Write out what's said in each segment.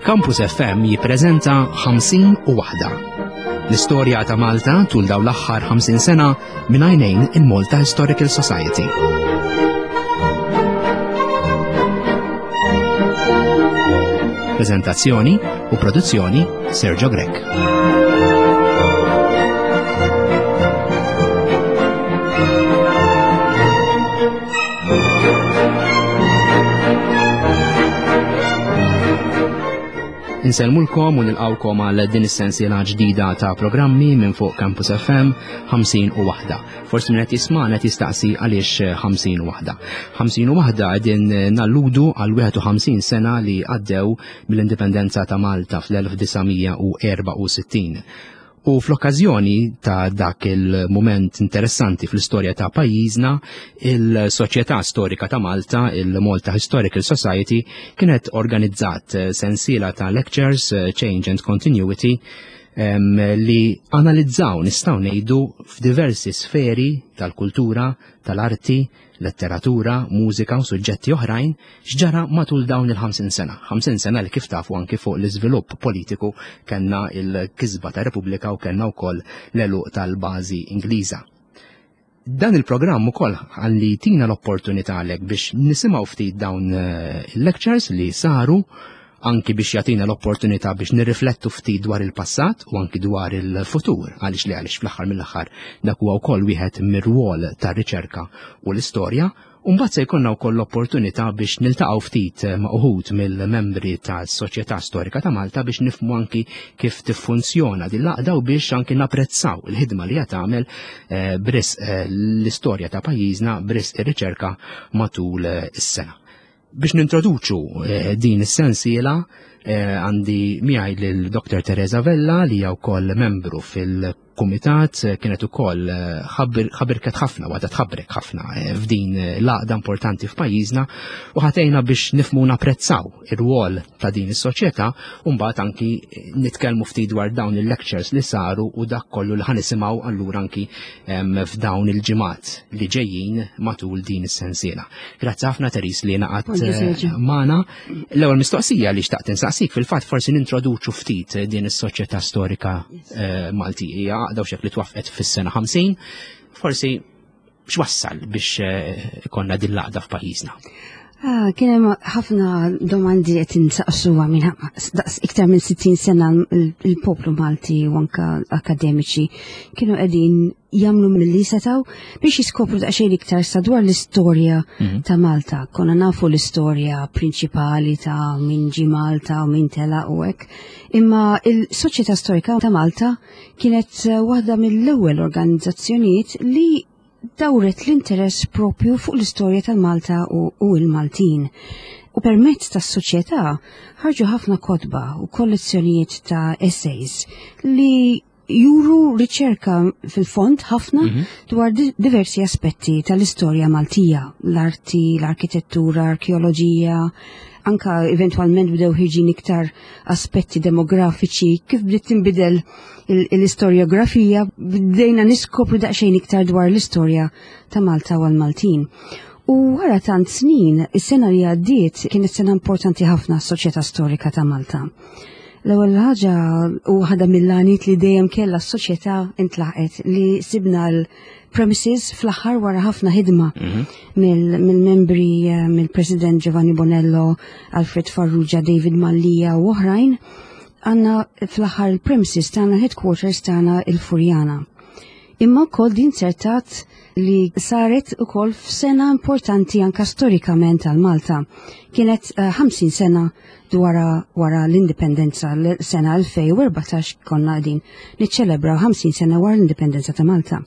Campus FM jippreżenta 50 u waħda. L-istorja ta' Malta tul dawn l-aħħar 50 sena minn għajnejn il-Malta Historical Society. Prezentazzjoni u produzzjoni Sergio Grech. Insellmulkom u nilqawkom għal din is-sensiela ġdida ta' programmi minn fuq Campus FM 50 u waħda. Forsi minn qed jisma'na qed jistaqsi għaliex 50 u waħda. 50 u waħda qegħdin nalludu għal 51 sena li għaddew mill-indipendenza ta' Malta fl-1964. U fl-okkażjoni ta' dak il-mument interessanti fl-istorja ta' pajjiżna, il-Soċjetà Storika ta' Malta, il-Malta Historical Society, kienet organizzat sensiela ta' lectures Change and Continuity li analizzaw nistgħu ngħidu f'diversi sferi tal-kultura, tal-arti, letteratura, mużika u suġġetti oħrajn x'ġara matul dawn il-50 sena. 50 sena li kif tafu anki fuq l-iżvilupp politiku kellna il-kisba ta' Repubblika u kellna wkoll l-għeluq tal-bażi Ingliża. Dan il-programm ukoll għalli tina l-opportunità għalhekk biex nisimgħu ftit dawn eh, il-lectures li saru anki biex jagħtina l-opportunità biex nirriflettu ftit dwar il-passat u anki dwar il-futur, għaliex li għaliex fl-aħħar mill-aħħar dak huwa wkoll wieħed mir-rwol tar-riċerka u l-istorja, u mbagħad se jkollna wkoll l-opportunità biex niltaqgħu ftit ma' uħud mill-membri tas-Soċjetà Storika ta' Malta biex nifhmu anki kif tiffunzjona din l-għaqda u biex anki napprezzaw il-ħidma li qed tagħmel eh, b'risq eh, l-istorja ta' pajjiżna, b'risq ir-riċerka matul eh, is-sena. Biex nintroduċu eh, din is-sensiela eh, għandi miegħi lil Dr. Teresa Vella li hija wkoll membru fil-kumitat eh, kienet ukoll ħabirket ħafna waqt tħabbrek ħafna f'din l-għaqda importanti f'pajjiżna u ħatejna biex nifmu napprezzaw ir-rwol ta' din is-soċjetà u mbagħad anki nitkellmu ftit dwar dawn il-lectures li saru u dak kollu li ħanisimgħu allura anki f'dawn il-ġimgħat li ġejjin matul din is-sensiela. Grazzi ħafna Teris li naqat eh, magħna. L-ewwel mistoqsija li xtaqt insaqsik fil-fatt forsi nintroduċu ftit eh, din is-soċjetà storika eh, Maltija għaqda xek li twaffqet fis-sena 50. Forsi x'wassal biex ikonna din l-għaqda f'pajjiżna? Ah, kien hemm ħafna domandi qed insaqsu minn daqs iktar minn 60 sena il-poplu Malti u anka akademiċi kienu qegħdin jagħmlu milli setgħu biex jiskopru daqsxejn iktar sa dwar l-istorja mhm. ta' Malta. Konna nafu l-istorja prinċipali ta' min ġi Malta u min tela u hekk. Imma il-Soċjetà Storika ta' Malta kienet eh, waħda mill-ewwel organizzazzjonijiet li dawret l-interess propju fuq l-istorja tal-Malta u, u l-Maltin. U permezz tas-soċjetà ħarġu ħafna kotba u kollezzjonijiet ta' essays li juru riċerka fil-fond ħafna mm -hmm. dwar diversi aspetti tal-istorja Maltija, l-arti, l-arkitettura, arkeoloġija, anka eventualment bdew ħirġin iktar aspetti demografiċi, kif bdiet tinbidel l-istorjografija, bdejna niskopru daqsxejn iktar dwar l-istorja ta' Malta u l-Maltin. U wara tant snin, is-sena li għaddiet kienet sena importanti ħafna s-soċjetà storika ta' Malta. L-ewwel ħaġa u waħda mill-għaniet li dejjem kellha s-soċjetà intlaqet li sibna l-premises fl-aħħar wara ħafna ħidma mhm. mill-membri eh, mill-President Giovanni Bonello, Alfred Farrugia, David Mallia u oħrajn għanna fl-aħħar il-premises tagħna headquarters tagħna il-Furjana. Imma wkoll din ċertat li saret ukoll f'sena importanti anka storikament għal Malta. Kienet 50 eh, sena dwara wara l-indipendenza l-sena 2014 konna qegħdin niċċelebraw 50 sena wara l-indipendenza ta' Malta.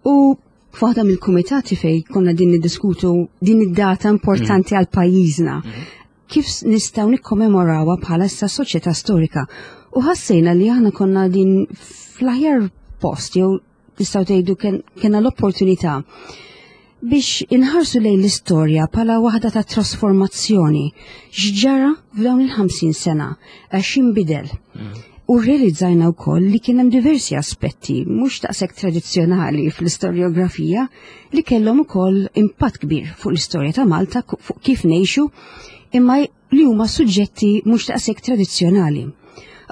U f'waħda mill-kumitati fej konna din niddiskutu din id-data importanti mm. għal pajjiżna. Mm. Kif nistgħu nikkommemorawha bħala issa soċjetà storika. U ħassejna li aħna konna din fl-aħjar post jew tistgħu tgħidu kena l-opportunità biex inħarsu lejn l-istorja bħala waħda ta' trasformazzjoni x'ġara f'dawn il-50 sena għax jinbidel. Mm. U rrealizzajna wkoll li kien hemm diversi aspetti mhux daqshekk tradizzjonali fl-istorjografija li kellhom ukoll impatt kbir fuq l-istorja ta' Malta, fuq kif ngħixu, imma li huma suġġetti mhux daqshekk tradizzjonali.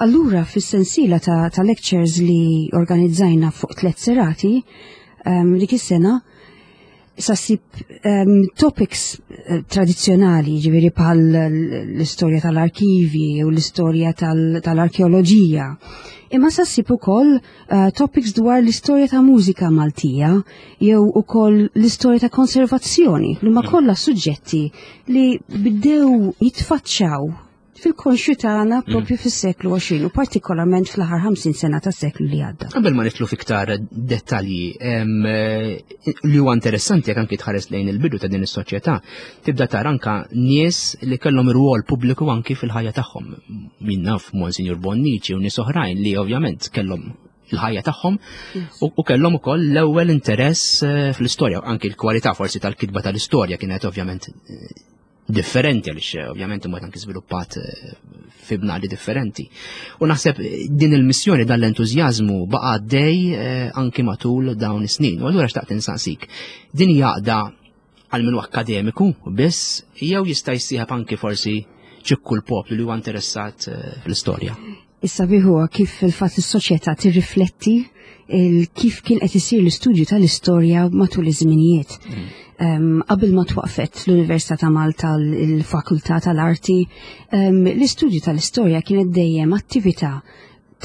Allura fis-sensiela ta', ta lectures li organizzajna fuq tliet serati dik is-sena sa ssib topics tradizzjonali, ġifieri bħal l-istorja tal-arkivi u l-istorja tal-arkeoloġija. Imma sa ssib ukoll topics dwar l-istorja ta' mużika Maltija jew ukoll l-istorja ta' konservazzjoni, li huma kollha suġġetti li bdew jitfaċċaw fil-konxju tagħna propju fis-seklu 20 u partikolarment fl-aħħar 50 sena tas-seklu li għadda. Qabel ma nidħlu fiktar dettalji, li huwa interessanti jekk anki tħares lejn il-bidu ta' din is-soċjetà, tibda tara anka nies li kellhom irwol pubbliku anki fil-ħajja tagħhom. Min naf Monsignor Bonnici u nies oħrajn li ovvjament kellhom il-ħajja tagħhom u kellhom ukoll l-ewwel interess fl-istorja, anki l-kwalità forsi tal-kitba tal-istorja kienet ovvjament differenti għaliex ovvjament imbagħad anki żviluppat fi bnadi differenti. U naħseb din il-missjoni dan l-entużjażmu baqa' għaddej anki matul dawn is-snin. U allura xtaqt insaqsik, din hija għaqda għal min hu akkademiku biss jew jista' jsieħeb anki forsi ċikku l-poplu li huwa interessat fl-istorja? Issa huwa kif fil-fatt is-soċjetà tirrifletti kif kien qed isir l-istudju tal-istorja matul iż-żminijiet. Qabel ma twaqfet l-Università ta' Malta l-Fakultà tal-Arti, l-istudju tal-istorja kienet dejjem attività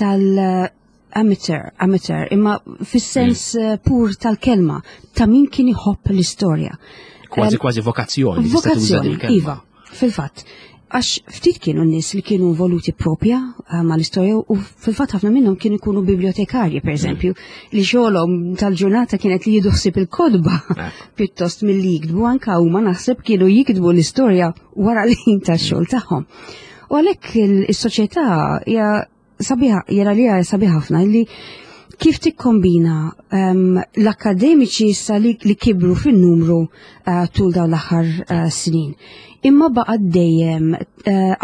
tal-amateur, amateur, imma fis-sens pur tal-kelma, ta' min kien iħobb l-istorja. Kważi kważi vokazzjoni, tista' tuża din Vokazzjoni, il-kelma. iva, fil-fatt. Għax ftit kienu n-nies li kienu involuti propja mal-istorja u fil-fatt ħafna minnhom kienu jkunu bibliotekarji, per eżempju, li xogħolhom tal-ġurnata kienet li jieħdu ħsieb il-kotba pjuttost milli jiktbu, anka huma naħseb kienu jiktbu l-istorja wara l-ħin tax-xogħol tagħhom. U għalhekk is-soċjetà hija sabiħa, jera li hija sabiħa ħafna li kif tikkombina l-akademiċi issa li kibru fin-numru tul dawn l-aħħar snin. Imma baqgħet dejjem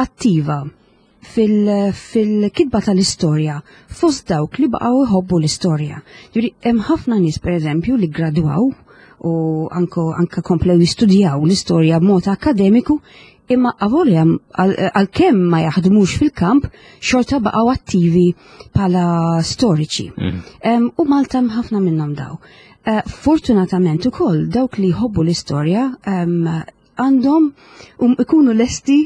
attiva fil-kitba tal-istorja fost dawk li baqgħu jħobbu l-istorja. Ġifieri hemm ħafna nies pereżempju li gradwaw u anka komplew jistudjaw l-istorja b'mod akademiku, imma avolja għalkemm ma jaħdmux fil-kamp, xorta baqgħu attivi bħala storiċi. U Malta hemm ħafna minnhom daw. Fortunatament ukoll dawk li jħobbu l-istorja għandhom ikunu lesti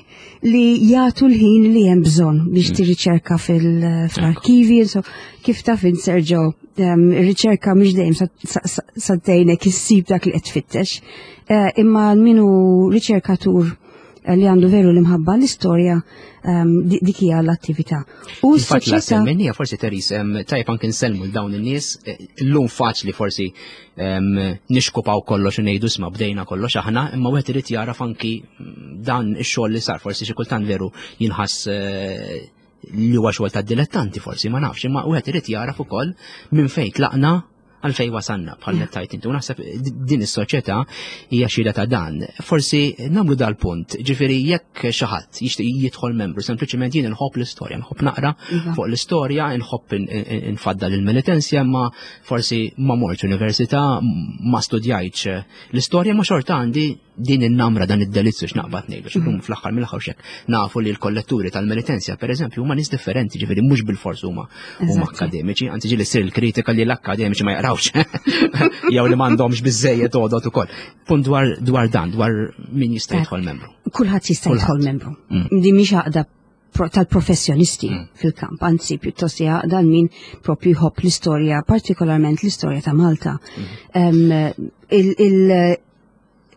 li jagħtu l-ħin li hemm bżonn biex tirriċerka fl-arkivi, so, kif taf int, Sergio, ir-riċerka mhix dejjem sa tgħinek issib dak li qed tfittex. Imma min hu riċerkatur li għandu veru l-imħabba l-istorja, dik hija l-attività. U Infatti, la s-soċjetà semmennija, forsi Therese, tajjeb anke nsellmu l dawn in-nies, llum faċli forsi nixkupaw kollox u ngħidu isma' bdejna kollox aħna, imma wieħed irid jaraf anki dan ix-xogħol li sar, forsi xi kultant veru jinħass li huwa xogħol tad-dilettanti forsi, ma nafx, imma wieħed irid jaraf ukoll minn fejn tlaqna għal fej wasanna bħal nettajt inti. U naħseb din is-soċjetà hija xhieda ta' dan. Forsi nagħmlu dal-punt, ġifieri jekk xi ħadd jixtieq jidħol membru, sempliċement jien inħobb l-istorja, nħobb naqra fuq l-istorja, inħobb infaddal il-Melitensia, ma forsi ma mortx università, ma studjajtx l-istorja, ma xorta għandi din in-namra, dan id-delizzju x'naqbad ngħidu, x'ikun fl-aħħar mill-aħħar xek nafu li l-kolletturi tal-Melitensia, per eżempju, huma nies differenti, ġifieri mhux bil-fors huma akademiċi, anzi ġieli ssir il-kritika li l-akademiċi ma jaqrawx jew li m'għandhomx biżejjed għodot ukoll. Punt dwar dan, dwar min jista' jidħol membru. Kulħadd jista' Kulħadd. jidħol membru. Din mhix għaqda tal-professjonisti fil-kamp, anzi pjuttost hija għaqda min propju jħobb l-istorja, partikolarment l-istorja ta' Malta.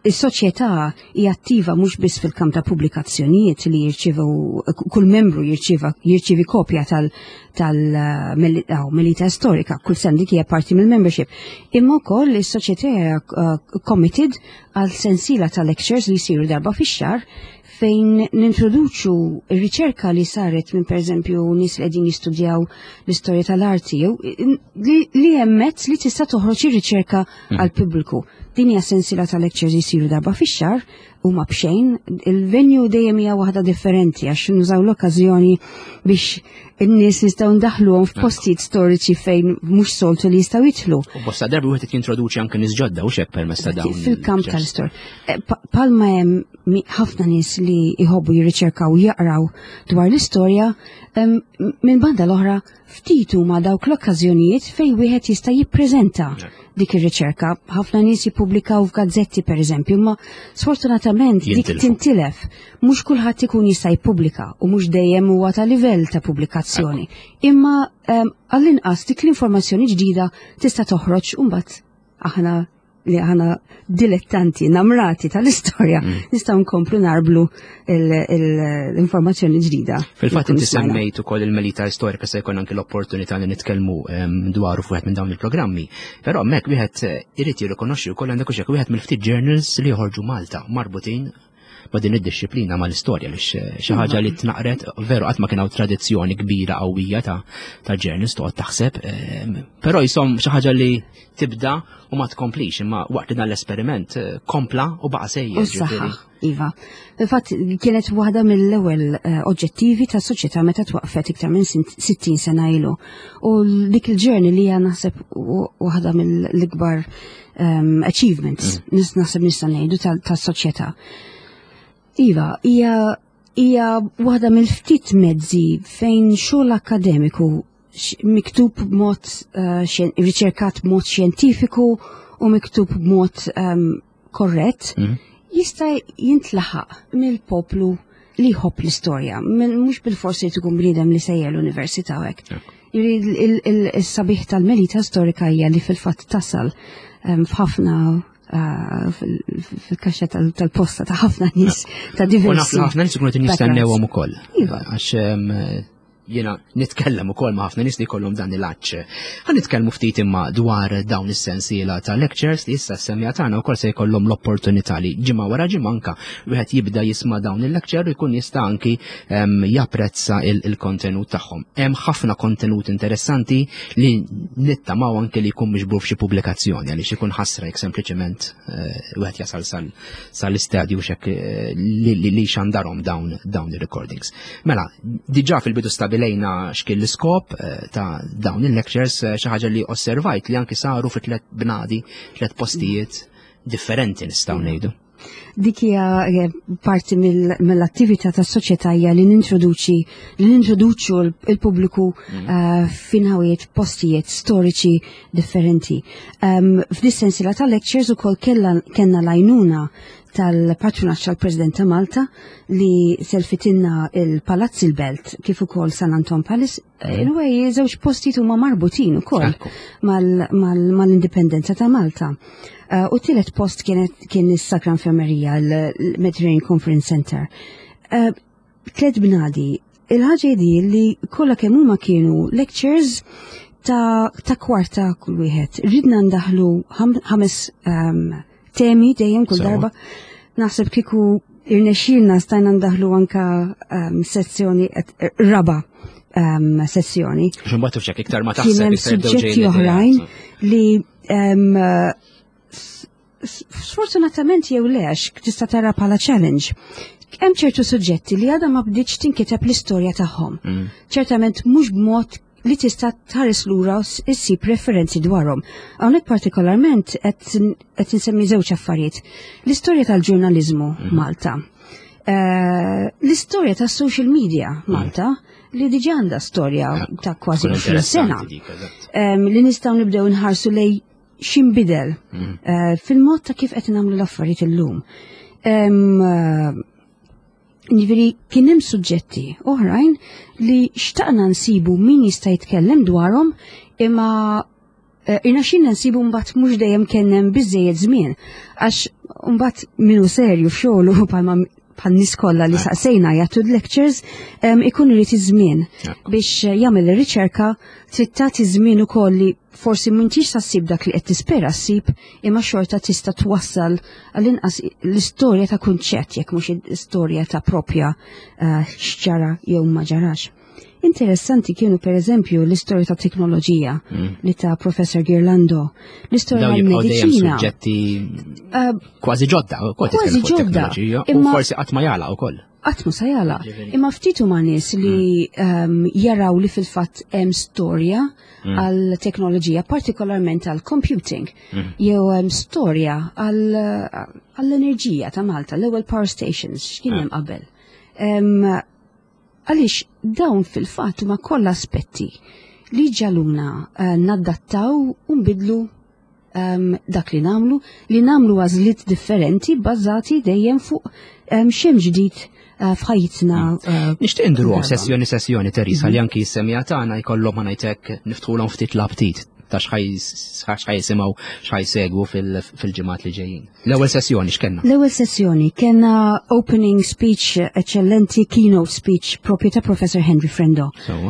Is-soċjetà hija attiva mhux biss fil-kamp ta' pubblikazzjonijiet li jirċievu, kull membru jirċievi kopja tal-Melita Storika, kull sena dik hija parti mill-membership. Imma wkoll is-soċjetà hija committed għal sensiela ta' lectures li jsiru darba fix-xahar fejn nintroduċu r-riċerka li saret minn pereżempju nies li qegħdin jistudjaw l-istorja tal-arti jew li hemm mezz li tista' toħroġ ir-riċerka għall-pubbliku. Din hija sensiela ta' lectures li jsiru darba fix-xahar, Huma b'xejn, il-venue dejjem hija waħda differenti għax nużaw l-okkażjoni biex in-nies nistgħu ndaħluhom f'postijiet storiċi fejn mhux soltu li jistgħu jidħlu. U bosta darbi wieħed jintroduċi anke nies ġodda u xek permezz ta' dawn. Fil-kamp tal-istorja. Eh, palma hemm ħafna nies li jħobbu jirriċerkaw jaqraw dwar l-istorja, minn banda l-oħra Ftit huma dawk l-okkażjonijiet fejn wieħed jista' jippreżenta dik ir-riċerka. Ħafna nies jippubblikaw f'gazzetti pereżempju, imma sfortunatament dik tintilef. Mhux kulħadd ikun jista' jippubblika u mhux dejjem huwa ta' livell ta' pubblikazzjoni. Imma ehm, għall-inqas dik l-informazzjoni ġdida tista' toħroġ u mbagħad aħna li aħna dilettanti, namrati tal-istorja, nistgħu nkomplu narblu l-informazzjoni ġdida. Fil-fatt inti semmejt ukoll il-Melita Storika se jkun anki l-opportunità li nitkellmu ehm, dwaru fuq minn dawn il-programmi. Però hemmhekk wieħed eh, irid jirrikonoxxi wkoll għandek wieħed mill-ftit journals li joħorġu Malta marbutin ma' din id-disciplina ma' l-istorja li xi ħaġa li tnaqret veru qatt ma kien hawn tradizzjoni kbira qawwija ta' ta' journals toqgħod taħseb, ehm, però jisom xi ħaġa li tibda u ma tkomplix imma waqt li dan l-esperiment eh, kompla u baqa' sejjer. Iva. Infatti kienet waħda mill-ewwel eh, oġġettivi ta' soċjetà meta twaqfet iktar minn 60 sena ilu. U dik il-ġerni li hija naħseb waħda mill-ikbar um, achievements, mm. naħseb nista' ngħidu tas-soċjetà. Iva, hija hija waħda mill-ftit mezzi fejn xogħol akademiku miktub b'mod uh, riċerkat b'mod xjentifiku u miktub b'mod um, korrett mm. jista' jintlaħaq mill-poplu li jħobb l-istorja, mhux bil-forsi tkun bniedem li sejjer l-università hekk. Il-sabiħ tal-melita storika hija li fil-fatt tasal ehm, f'ħafna eh, fil-kaxxa tal-posta ta' ħafna nies ta' diversi. U ħafna nies ikunu jistennewhom ukoll. Iva. Għax ehm, jiena nitkellem ukoll ma' ħafna nies li jkollhom dan il-għatx. Ħa nitkellmu ftit imma dwar dawn is-sensiela ta' lectures li issa s-semja tagħna wkoll se jkollhom l-opportunità li ġimgħa wara ġimgħa anka wieħed jibda jisma' dawn il-lecture u jkun jista' anki japprezza il-kontenut tagħhom. Hemm ħafna kontenut interessanti li nittamaw anke li jkun miġbur f'xi pubblikazzjoni għaliex ikun ħasra jekk sempliċement eh, wieħed jasal sal-istadju xek eh, li xandarhom dawn dawn ir-recordings. Mela, diġà fil-bidu stabilejna x'kien l-iskop eh, ta' dawn il-lectures xi ħaġa li osservajt li anki saru fi tliet bnadi, tliet postijiet differenti nistgħu ngħidu. Dik hija eh, parti mill-attività tas-soċjetà hija li nintroduċi li nintroduċu l-pubbliku mm. eh, f'inħawiet postijiet storiċi differenti. Ehm, f'dis sensiela ta' lectures ukoll kellna l-għajnuna tal-patronaġġ tal-President ta' Malta li selfitinna il-Palazz il-Belt kif ukoll San Anton Palace. Mm. In a way, żewġ postijiet huma marbutin ukoll mal-indipendenza ta' Malta. Eh, u tielet post kien is-Sakra Infermerija, l-Mediterranean Conference Center. Eh, tlet bnadi, il-ħaġa di li kollha kemm huma kienu lectures ta', ta kwarta kull wieħed. Ridna ndaħlu ħames ehm, temi dejjem kull darba. Naħseb kieku irnexxielna stajna ndaħlu anka um, sessjoni eh, raba um, sessjoni. Xumbat ufxek iktar ma taħseb. Kien hemm suġġetti oħrajn li Sfortunatament jew le għax tista' tara bħala challenge. Hemm ċertu suġġetti li għadha ma bdietx tinkiteb l-istorja tagħhom. Mm. Ċertament mhux b'mod li tista' tħares lura u issib referenzi dwarhom. Hawnhekk partikolarment qed insemmi żewġ affarijiet. L-istorja tal-ġurnaliżmu mm. Malta. Eh, l-istorja tas-social media mm. Malta. Mm li diġa għandha storja ta' kważi 20 sena. Li nistgħu nibdew nħarsu lej x'inbidel mm. eh, fil-mod ta' kif qed nagħmlu l-affarijiet illum. Eh, ġifieri kien hemm suġġetti oħrajn li xtaqna nsibu min jista' jitkellem dwarhom imma Eh, irnexxilna nsibu mbagħad mhux dejjem kien hemm biżejjed żmien għax mbagħad minu serju f'xogħlu bħalma bħal nies kollha li saqsejna jagħtu lectures ikun irid iż-żmien biex eh, jagħmel ir-riċerka trid tagħti żmien ukoll li forsi m'intix sa ssib dak li qed tispera ssib imma xorta tista' twassal għall-inqas l-istorja ta' kunċett jekk mhux istorja ta' propja eh, x'ġara jew ma ġarax. Interessanti kienu per eżempju l-istorja ta' teknoloġija li ta' Professor Girlando, l-istorja Dawn jibqgħu dejjem tal-mediċina. suġġetti kważi ġodda, ukoll Kważi titkellem fuq ġodda, teknoloġija, u forsi qatt ma jagħlaq ukoll. Qatt ma se jagħlaq. Imma ftit huma nies li jaraw li fil-fatt hemm storja għal teknoloġija, partikolarment għal computing, jew hemm storja għall-enerġija ta' Malta, l-ewwel power stations, x'kien hemm qabel. Għaliex dawn fil-fatt huma kollha aspetti li ġaluna naddattaw u nbidlu dak li namlu, li namlu għażliet differenti bbażati dejjem fuq x'hemm ġdid f'ħajjitna. Nixtieq induruhom darba. sessjoni sessjoni, Teresa, li anki s-semija tagħna jkollhom ma ngħidlek niftħulhom ftit l-aptit ta' x'ħaj jisimgħu, x'ħaj segwu fil-ġimgħat li ġejjin. L-ewwel sessjoni x'kenna? L-ewwel sessjoni kellna opening speech eċċellenti, keynote speech propju ta' Professor Henry Frendo,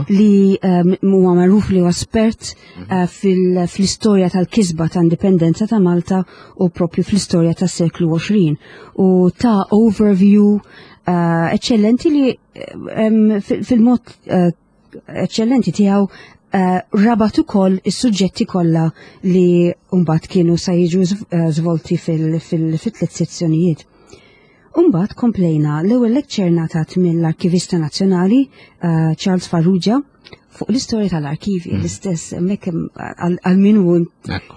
li huwa magħruf li huwa espert fl-istorja tal-kisba ta' indipendenza ta' Malta u propju fl-istorja tas-seklu 20, u ta' overview eċċellenti li fil-mod eċċellenti tiegħu rabat ukoll is-suġġetti kollha li mbagħad kienu sa jiġu żvolti fit-tliet sezzjonijiet. Mbagħad komplejna l-ewwel lecture ngħatat mill-Arkivista Nazzjonali Charles Farrugia fuq l-istorja tal-arkivi, l-istess hemmhekk għal min hu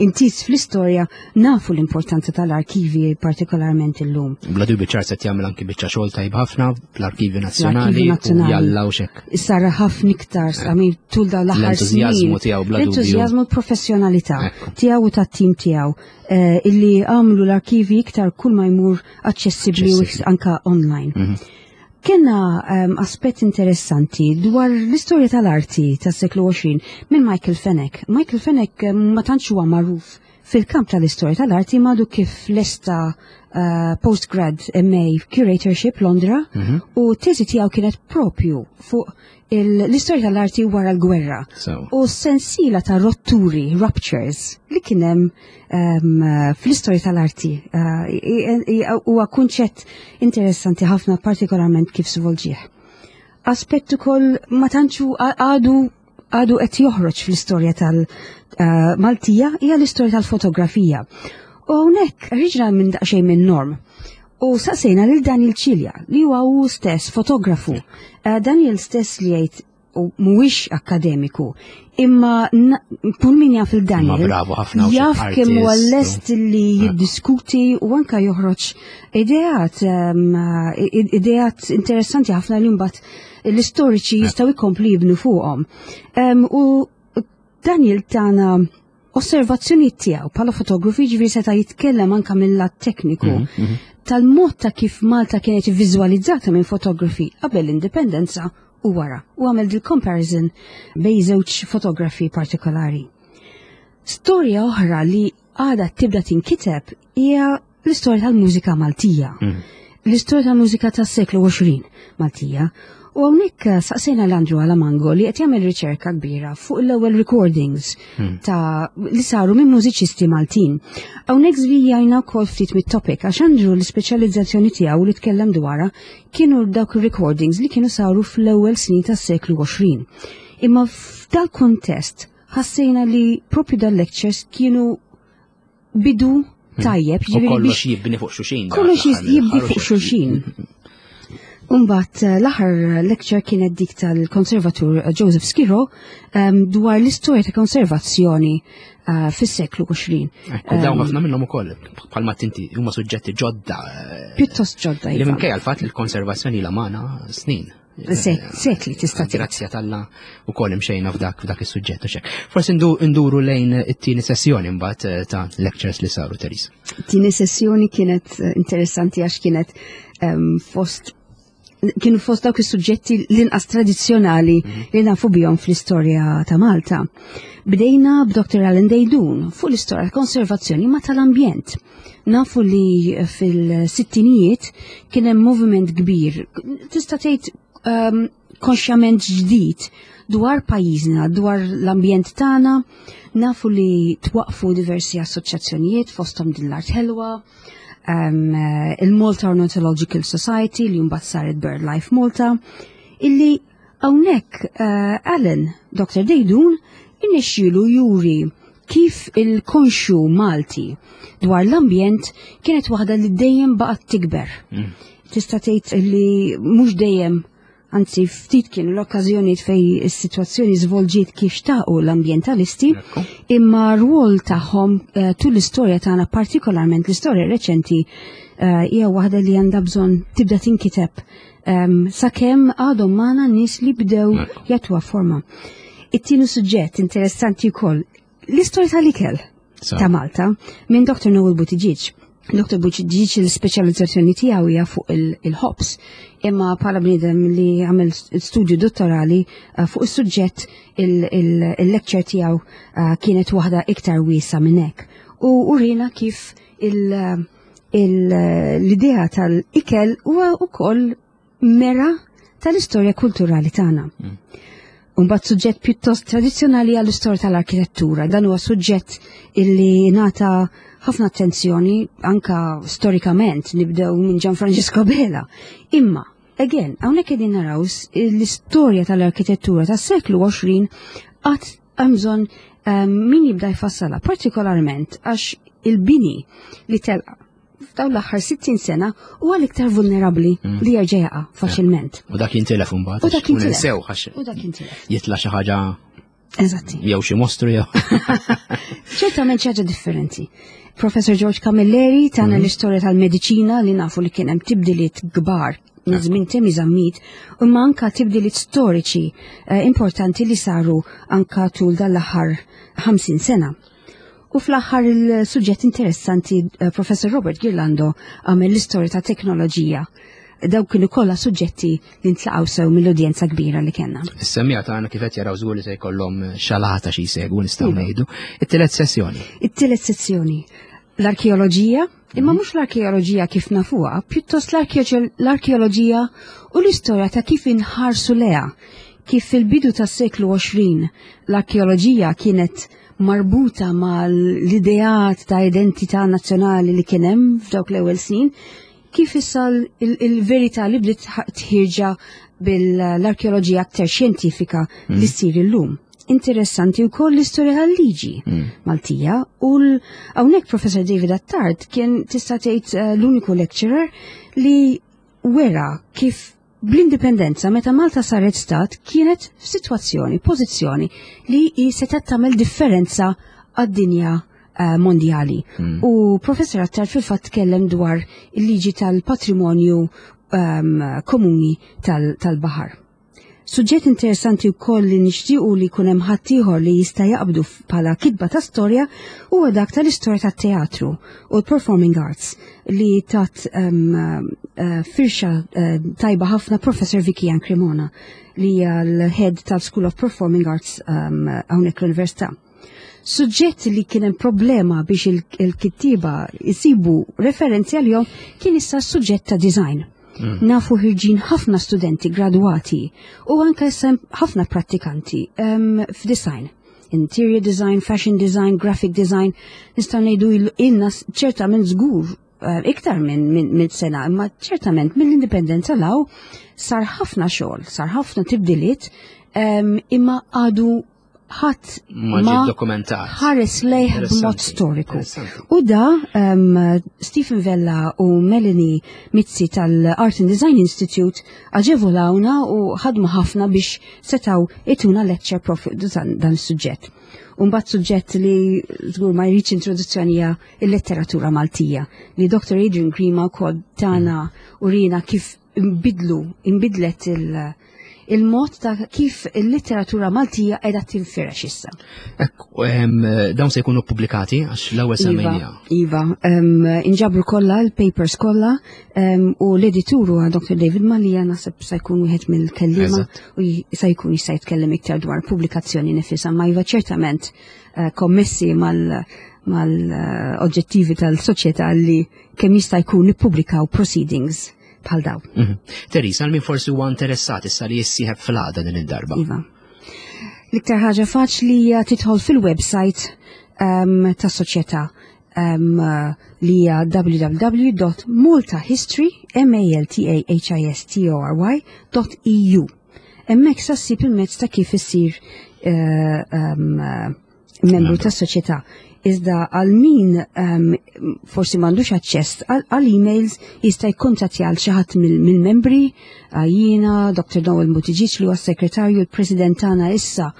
intiż fl-istorja nafu l-importanza tal-arkivi partikolarment illum. Bla dubju Charles qed jagħmel anki biċċa xogħol tajb ħafna fl-Arkivi Nazzjonali L-Arkivi u Nazzjonali. jalla u xek. Sara ħafna iktar, tul dawn l-aħħar L-entużjażmu snin. tiegħu bla dubju. L-entużjażmu u l-professjonalità tiegħu u tat-tim tiegħu illi għamlu l-arkivi iktar kull ma jmur aċċessibbli u anka online. Kenna aspett interessanti dwar l-istorja tal-arti tas-seklu 20 minn Michael Fenech. Michael Fenech ma tantx huwa magħruf fil-kamp tal-istorja tal-arti, madu kif lesta postgrad MA Curatorship Londra, u t-teżi tiegħu kienet propju fuq l-istorja tal-arti wara l-gwerra. U sensila ta' rotturi, ruptures, li kien hemm fl-istorja tal-arti. Huwa kunċett interessanti ħafna, partikolarment kif svolġih. Aspett ukoll ma tantx għadu qed joħroġ fl-istorja tal-Maltija hija l-istorja tal-fotografija. U hawnhekk riġna minn daqsxejn minn norm. U saqsejna lil Daniel Cilia, li huwa hu stess fotografu. Daniel stess li jgħid u mhuwiex akademiku, imma kull min jaf il-Daniel Ma bravo ħafna u xi jaf kemm huwa artist u lest li jiddiskuti u anka joħroġ ideat interessanti ħafna li mbagħad l-istoriċi jistgħu jkomplu jibnu fuqhom. U Daniel tana osservazzjoni tiegħu bħala fotografi, ġifieri seta' jitkellem anka mill-lat tekniku tal-mod ta' kif Malta kienet viżwalizzata minn fotografi qabel l-indipendenza u wara, u għamel dil comparison bejn żewġ fotografi partikolari. Storja oħra li għadha tibda tinkiteb hija l-istorja tal-mużika Maltija. L-istorja tal-mużika tas-seklu 20 Maltija. U hawnhekk saqsejna l-Andrew Alamango li qed jagħmel riċerka kbira fuq l-ewwel recordings ta' li saru minn mużiċisti Maltin. Hawnhekk żvijajna wkoll ftit mit-topic għax Andrew l-ispeċjalizzazzjoni tiegħu li tkellem dwarha kienu dawk ir-recordings li kienu saru fl-ewwel snin tas-seklu 20. Imma f'dal kuntest ħassejna li propju dal-lectures kienu bidu tajjeb, U ġifieri kollox biex jibni fuq xulxin, dak Kollox l-aħħar jibni mill-aħħar fuq u xejn. xulxin. Umbat l-aħħar lecture kienet dik tal-konservatur Joseph Schirò dwar l-istorja ta' konservazzjoni fis-seklu 20. Ekku, dawn ħafna minnhom ukoll, bħalma tinti huma suġġetti ġodda Pjuttost ġodda, li iva. minkejja l-fatt li l-konservazzjoni la magħna snin. Sekli tista' tgħid. Grazzja t'Alla ukoll imxejna f'dak is-suġġett u xek. Forsi nduru lejn it-tieni sessjoni mbagħad ta' lectures li saru, Teresa. Tieni sessjoni kienet interessanti għax kienet fost kienu fost dawk is-suġġetti l-inqas tradizzjonali li nafu bihom fl-istorja ta' Malta. Bdejna b'Dr. Alan Deidun fuq l-istorja tal-konservazzjoni ma tal-ambjent. Nafu li fil-sittinijiet kien hemm moviment kbir, tista' tgħid konxjament ġdid dwar pajjiżna, dwar l-ambjent tagħna. Nafu li twaqfu diversi assoċjazzjonijiet fosthom din l-Art Ħelwa, il-Malta Ornithological Society li mbagħad saret BirdLife Malta, illi Hawnhekk eh, Alan, Dr. Dejdun, irnexxielu juri kif il-konxju Malti dwar l-ambjent kienet waħda li dejjem baqgħet tikber. Tista' tgħid li mhux dejjem anzi ftit kienu l-okkażjonijiet fej is-sitwazzjoni żvolġiet kif xtaqu l-ambjentalisti, imma rwol tagħhom eh, tul l-istorja tagħna partikolarment l-istorja reċenti eh, hija waħda li għandha bżonn tibda tinkiteb ehm, sakemm għadhom magħna nies li bdew jagħtuha forma. It-tieni suġġett interessanti wkoll l-istorja tal-ikel ta' Malta minn Dr. Noel Buttigieg. Dr. Buttigieg l-speċjalizzazzjoni tiegħu hija fuq il-ħobs, imma bħala bniedem li għamel studju dottorali eh, fuq is-suġġett il-lecture tiegħu eh, kienet waħda iktar wiesa minn hekk. U urina kif l-idea tal-ikel huwa wkoll mera tal-istorja kulturali tagħna. Umbagħad suġġett pjuttost tradizzjonali għall-istorja tal-arkitettura. Dan huwa suġġett illi nata ħafna attenzjoni anka storikament nibdew minn Gian Francesco Bela. Imma, again, hawnhekk qegħdin naraw l-istorja tal-arkitettura tas-seklu 20 qatt hemm bżonn min jibda jfassalha, partikolarment għax il-bini li telqa f'dawn l-aħħar 60 sena huwa l-iktar vulnerabbli li jerġa' jaqa' faċilment. U dak jintilef imbagħad. U dak jintilef. Sew għax U dak jintilef. jitla' xi ħaġa Eżatti. jew xi mostru jew. Ċertament xi ħaġa differenti. Professor George Camilleri tana l-istorja tal-mediċina li nafu li kien hemm tibdiliet kbar minn żmien Temi Zammit, imma anka tibdiliet storiċi eh, importanti li saru anka tul dal-aħħar 50 sena. U fl-aħħar il-suġġett interessanti eh, Professor Robert Girlando għamel l-istorja ta' teknoloġija. Dawk kienu kollha suġġetti li ntlaqgħu sew mill-udjenza kbira li kellna. Is-semmiegħa tagħna kif qed jaraw żgur li se jkollhom xalata xi jsegwu nistgħu ngħidu. It-tielet sessjoni. It-tielet sezzjoni, l-arkeoloġija, imma mhux l-arkeoloġija kif nafuha, pjuttost l-arkeoloġija u l-istorja ta' kif inħarsu leha, kif fil-bidu tas-seklu 20 l-arkeoloġija kienet marbuta mal-ideat ta' identità nazzjonali li kien hemm f'dawk l-ewwel snin, kif issa il-verità li bdiet tħirġa bil-arkeoloġija aktar xjentifika li ssir illum. Interessanti wkoll l-istorja tal-liġi Maltija u hawnhekk Professor David Attard kien tista' tgħid eh, l-uniku lecturer li wera kif bl-indipendenza meta Malta saret stat kienet f'sitwazzjoni, pożizzjoni li hi setgħet tagħmel differenza għad-dinja eh, mondjali. U Professor Attard fil-fatt tkellem dwar il-liġi tal-patrimonju ehm, komuni tal-baħar. Suġġett interessanti wkoll li nixtiequ li jkun hemm ħaddieħor li jista' jaqbdu bħala kitba ta' storja huwa dak tal-istorja tat-teatru u l-performing arts li tat um, firxa uh, tajba ħafna Professor Vicky Ann Cremona li hija l-head tal-School of Performing Arts um, hawnhekk l-Università. Suġġett li kien hemm problema biex il-kittiba jsibu referenzi għalihom kien issa s-suġġett ta' design. Nafu ħirġin ħafna studenti gradwati u anke issa ħafna prattikanti um, f'design. Interior design, fashion design, graphic design, nistgħu ngħidu ilna ċertament żgur eh, iktar minn min, min sena, imma ċertament mill-indipendenza law sar ħafna xogħol, sar ħafna tibdiliet, um, imma għadu ħadd Ma ġie dokumentat. ħares lejh b'mod storiku. U da um, Stephen Vella u Melanie Mizzi tal-Art and Design Institute aġevolawna u ħadmu ħafna biex setaw ituna lecture prof dan, dan is-suġġett. Umbagħad suġġett li żgur ma jridx introduzzjoni hija il-letteratura Maltija li Dr. Adrian Grima wkoll tana urina kif imbidlu, imbidlet il- il-mod ta' kif il-letteratura Maltija qiegħda tinfirex issa. Ekk, dawn se jkunu pubblikati għax l-ewwel semmejnija. Iva, inġabru kollha l-papers kollha u l-editur huwa Dr. David Mallia naħseb se jkun wieħed mill-kelliema u se jkun jista' jitkellem iktar dwar pubblikazzjoni nifisha, ma iva ċertament eh, kommessi mal mal-oġġettivi tal-soċjetà li kemm jista' jkun nippubblikaw proceedings bħal daw. Mhm. Teresa, għal min forsi huwa interessat issa li jissieħeb fil-għada din id-darba. Iva. L-iktar ħaġa faċli hija tidħol fil-website um, tas-soċjetà um, li hija www.maltahistory, M-A-L-T-A-H-I-S-T-O-R-Y, .eu. Hemmhekk sa ssib il-mezz ta' kif issir eh, membru tas-soċjetà. Iżda għal min um, forsi m'għandux aċċess għal emails jista' jikkuntattja għal xi ħadd mill-membri jiena, Dr. Noel Mutiġiċ li huwa s-segretarju, il-President tagħna issa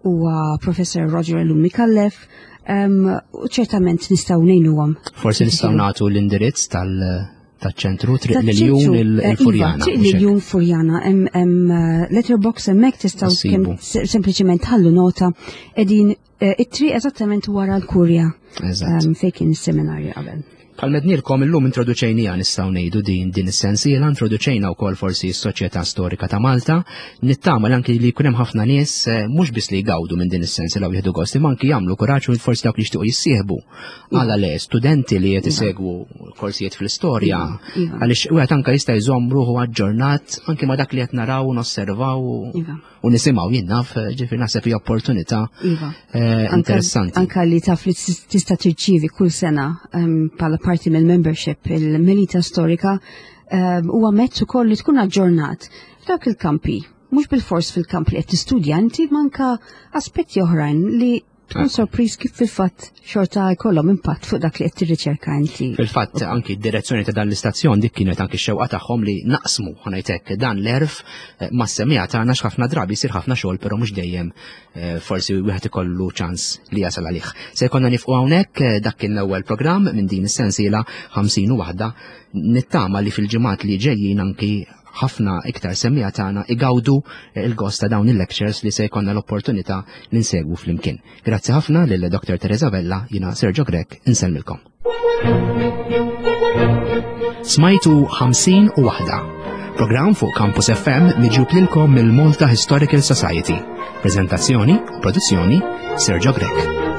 huwa Professor Roger Ellul Micallef, u ċertament nistgħu ngħinuhom. Forsi nistgħu nagħtu l-indirizz tal- taċ-ċentru Triq l-Iljun eh, iva, il-Furjana. Triq l-Iljun Furjana, hemm eh, letterbox hemmhekk tistgħu sempliċement ħallu nota qegħdin eh, it-triq eżattament wara l-kurja fejn kien is-seminarju qabel. Bħal mednilkom illum introduċejnija nistgħu ngħidu din din is-sensiela, introduċejna wkoll forsi s-Soċjetà Storika ta' Malta, nittama li anki li jkun hemm ħafna nies mhux biss li jgawdu minn din is-sensiela u jieħdu gost, imma anki jagħmlu kuraġġ u forsi dawk li jixtiequ jissieħbu Għala le, studenti li qed iva. isegwu korsijiet fl-istorja, iva. Iva. għaliex wieħed anke jista' jżomm ruħu aġġornat anke ma dak li qed naraw u nosservaw u nisimgħu jien naf, ġifier naħseb hija opportunità eh, interessanti. Anka li taf li tista' tirċievi kull sena ehm, bħala parti mill-membership il-Melita Storika ehm, huwa mezz ukoll li tkun aġġornat f'dawk il-kampi mhux bil-fors fil-kamp li qed tistudja inti manka aspetti oħrajn li Tkun sorpriż kif fil-fatt xorta jkollhom impatt fuq dak li qed tirriċerka inti. Fil-fatt anki d-direzzjoni ta' dan l-istazzjon dik kienet anki x-xewqa tagħhom li naqsmu ħanajtek dan l-erf eh, mas-semija tagħna x'ħafna drabi jsir ħafna xogħol però mhux dejjem eh, forsi wieħed ikollu ċans li jasal għalih. Se jkollna nifqu hawnhekk eh, dak kien l-ewwel programm minn din is-sensiela 50 waħda nittama li fil-ġimgħat li ġejjin anki ħafna iktar semmiegħa tagħna igawdu il-gost ta' dawn il-lectures li se jkollna l-opportunità li nsegwu flimkien. Grazzi ħafna lil Dr. Teresa Vella, jina Sergio Grech, insellmilkom. Smajtu 50 u waħda. Programm fuq Campus FM miġjub lilkom mill-Malta Historical Society. Prezentazzjoni u produzzjoni Sergio Grech.